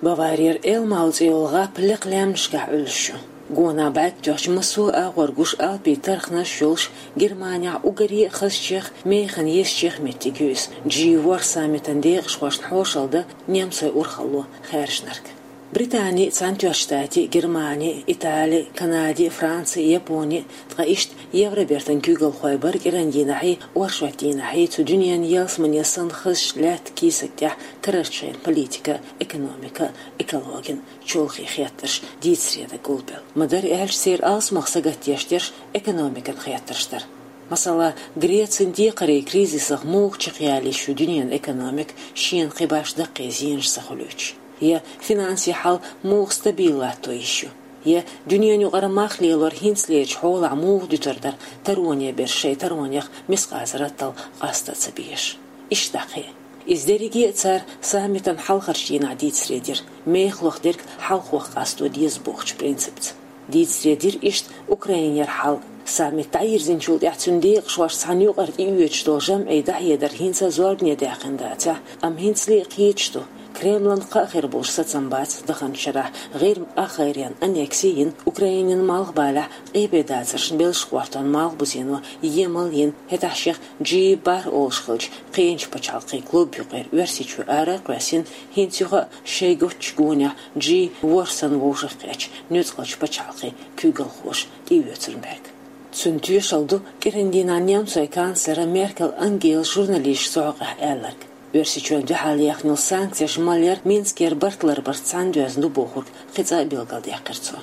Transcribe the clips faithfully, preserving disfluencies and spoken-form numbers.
Баварера Элмау цӀе йолу гӀап лекха лаьмнашкахь Ӏуьллуш ю. Гонах бӀаьрг тоьхча массо а агӀор гуш алпийн тарханаш йолуш, Германехь уггаре а хазачех, механа езачех меттиг ю иза, Джи ворхӀ саммитан декъашхошна хьошалла дан немцойн урхалло хаьржинарг. Британи, Цхьаьнатоьхначу Штатий, Германи, Итали, Канади, Франци, Япони, ткъа иштта Евробертан куьйгалхой бара кӀиран дийнахьий, оршот дийнахьий цу дуьненан ялсамане санна хазачу лаьттан кийсак тӀехь карарчу хенан политика, экономика, экологин, чолхе хеттарш дийцаре дан гулбелла. Ма-дарра аьлча, церан алсамох сагатдеш дерш экономикан хеттарш дара. Масала, Грецин декхарийн кризисах муха чекхъяла йиш ю дуьненан экономика, шена кхин башха даккхий зенаш ца хуьлуьйтуш? Я финансийн хьал муха стабил латто йиш ю? Я дуьненан юкъара мах лелор хӀинцалерчу хьолахь муха дуьтур дара тароне берш шайн таронех мискъазарратал къаста а ца безаш? Иштта дӀа кхин. Иза дерриге а цара саммитан хьалхарчу дийнахь дийцаре дира, мехалах дерг хьалхох къасто деза бохучу принципца. Дийцаре дира иштта Украинера хьал. Саммит дӀайирзинчул тӀаьхьа цуьнан декъашхошца цхьаьна юкъара тӀеоьцуш долу жамӀийн дӀахьедар хӀинца а зорбане даьккхина дацахь, амма хӀинцале а кхеташ ду, Кремлан кхаъ хир болуш сацам бац даханчу шарахь ГӀирма къаххайренан аннекси йина Украинин малхбалехь къепедацаршна белш гӀортон малхбузено емал йина, хӀетахь шех Джи бархӀ олуш хиллачу кхечу пачхьалкхийн клуб юкъера Оьрсийчоь ара а кхоьссина, хӀинца юха а шайн готтачу гонехь Джи ворхӀ санна вовшахкхеттачу нуьцкъалчу пачхьалкхийн куьйгалхоша тӀеоьцуран берг. Цуьнан тоьшалла ду кӀиран дийнахь немцойн канцлера Меркел Ангелас журналисташна зӀе хьокъехь аьлларг. Оьрсийчоьнна дуьхьал яьхна йолу санкцеш малъяр Минскера барт ларбарца цхьаьна доьзна ду бохург кхин цкъа а билгалдаьккхира цо.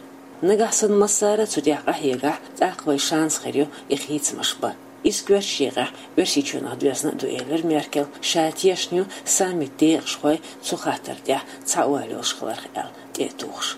Нагахь санна массара а цу тӀехь къахьегахь, тӀаккха вайн шанс хир ю и хийцамаш бан. Иза коьртачу декъехь Оьрсийчоьнах доьзна а ду, элира Меркела, ша тешна ю саммитан декъашхой цу хаттар тӀехь цхьа ойла йолуш хиларх аьлла, тӀе а тухуш.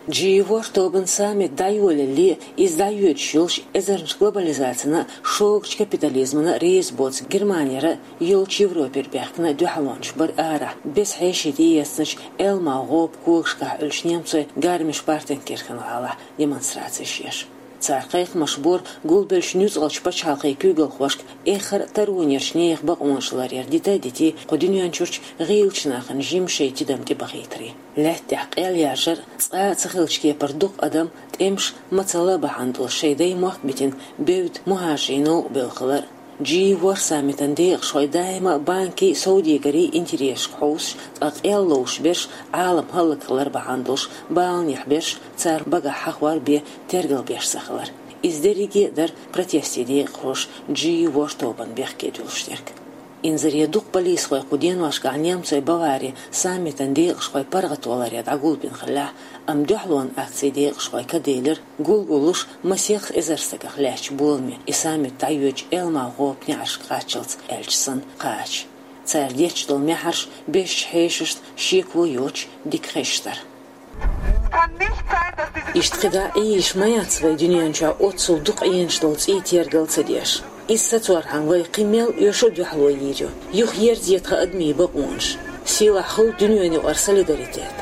Джи ворхӀ тобанан саммит дӀайолале, иза дӀайоьдуш йолуш эзарнаш глобализацина а, шогачу капитализмана а реза боцу Германера а, йолчу Европера баьхкина дуьхьалончаш бара арахь, беза хьеший тӀеэцначу Элмау гӀопан когашкахь Ӏуьллучу немцойн Гармиш-Партенкирхен гӀалахь демонстрацеш еш. Цара кхайкхамаш бора гулбеллачу нуьцкъалчу пачхьалкхийн куьйгалхошка эххар а таронерчу нехан бакъонаш ларъяр дита а дитий, кху дуьнен чуьрчу гӀийлачу нахана жимма шайн тидам тӀебахийтаре. Лаьтта тӀехь къел яржар а, цкъа а ца хиллачу кепара дукха адам тӀемаш, мацалла бахьана долуш шайн даймохк а битина, бевдда мухӀажарийн новкъа бевлла хилар а. Джи ворхӀ саммитан декъашхой даима а банкийн, совдегарийн интересашка хьовсуш, ткъа къел ловш берш, Ӏалам хӀаллакьхилар бахьана долуш баланехь берш, цара багахь хьахор бен тергал беш ца хилар. Иза дерриге а дара протестийн декъашхоша Джи ворхӀ тобанан бехке дуьллуш дерг. Инзаре дукха полисхой кху деношкахь немцойн Баварин саммитан декъашхойн паргӀато ларъян дӀагулбина хиллехь а, амма дуьхьалонан акцин декъашхой ка делира, гулгуллуш масех эзар стагах лаьттачу боламе, и саммит дӀайоьдучу Элмау гӀопан неӀаршка кхаччалц аьлча санна, кхача. Цара детташ долу маьхьарш безачу хьешашна шеко йоцуш дика хезаш дара. Иштта кхидӀа а Ӏийша ма яц вай дуьнен чохь оццул дукха Ӏенаш долу цӀий тергал ца деш. Иза сацорхьама вай кхин мел оьшу а дуьхьало йийр ю. Юхаерзае тхан адамийн бакъонаш. Сийлахь хуьлда дуьненан юкъара солидаритет.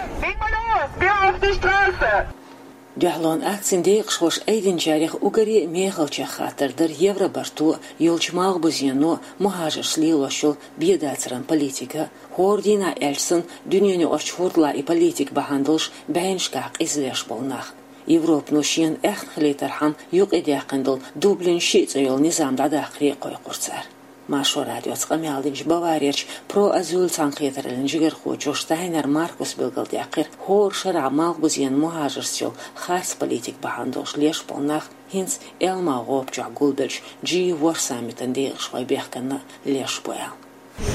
Дуьхьалонан акцин декъашхоша айдинчарех уггаре а мехалчех хаттар дара Евробарто а, йолчу малхбузено а, мухӀажаршца лелош йолу бен дацаран политика а, хӀора дийнахь аьлча санна, дуьненан юкъарчу хӀордалахь и политика бахьана долуш бӀеннашкахь къиза леш болу нах. Европано шена аьхна хилийтархьама юкъадаьккхина долу Дублин шиъ цӀе йолу низам дӀадаккхаре а кхойкхура цара. Маршо радиоца къамел динчу Баварерчу Pro Asyl цхьаьнакхетараллин жигархочо Штайнер Маркуса билгалдаьккхира, хӀора шарахь малхбузен, мухӀажаршца йолу харц политика бахьана долуш леш болу нах хӀинца Элмау гӀопа чохь гулбеллачу Джи ворхӀ саммитан декъашхойн бехкенна леш бу аьлла.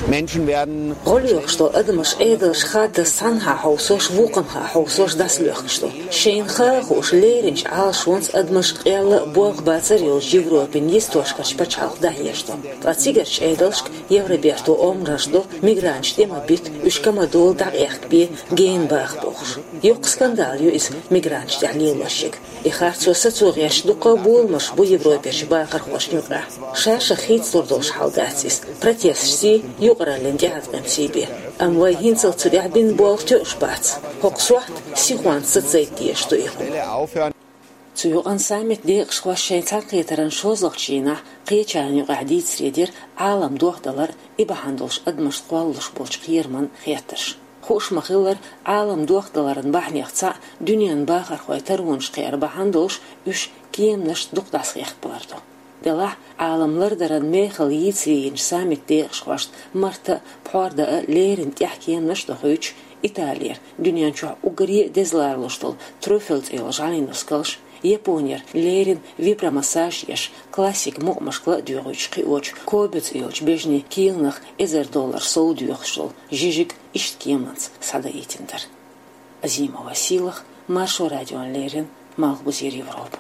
Menschen werden ГӀо лоьхуш долу адамаш Ӏедалша хаддаза цхьанхьа хьовсош, вукханхьа хьовсош дӀасалоьхкуш ду. Шайна хаа а хууш, леринчу Ӏалашонца адамаш къелла а, болх бацар а йолчу Европин йистошкарчу пачхьалкха дӀахьежаш ду. Ткъа цигарчу Ӏедалшка Евроберто омранаш до, мигранташ тӀе ма бита, уьш ка ма долу, дӀакъехкабе, гена баха бохуш. Йоккха скандал ю иза мигранташна тӀехь лелош ерг. И харцо сацо гӀерташ дуккха а боламаш бу Европерчу бахархошна юкъахь. Ша-шех хийцалур долуш хьал дац иза. Протесташций, юкъараллин тӀеӀаткъамций бен. Амма вай хӀинццалц цу тӀехь бина болх тоьуш бац. ХӀокху сохьта сихонца сацадайта дезаш ду и хӀума. Цу юкъанна саммитан декъашхоша шайн цхьаьнакхетаран шозлагӀчу дийнахь кхечарна юкъахь дийцаре дира Ӏалам дохдалар а, и бахьана долуш адамашна кхоллалуш болчу кхераман хеттарш. Хууш ма-хиллара, Ӏалам дохдаларан бахьанех цхьаъ дуьненан бахархой таронаш кхиар бахьана долуш уьш кеманашца дукха дӀасахехкабалар ду. Делахь, Ӏалам лардаран мехала йийца йийначу саммитан декъашхошна марта а, пхьор дан а леррина тӀехь кеманаш а дохуьйтуш, Италера, дуьнен чохь уггаре а деза ларалуш долу Труффель цӀе йолу жӀаьлин нускалш, Японера леррина вибромассаж еш, классикан мукъамашка ла а доьгӀуьйтуш кхиочу Кобе цӀе йолчу бежанийн кийланах эзар доллар сов доьхуш долу жижиг иштта кеманца схьадаийтина дара. Азимова Сийлаха, Маршо радиона леррина, Малхбузера Европа.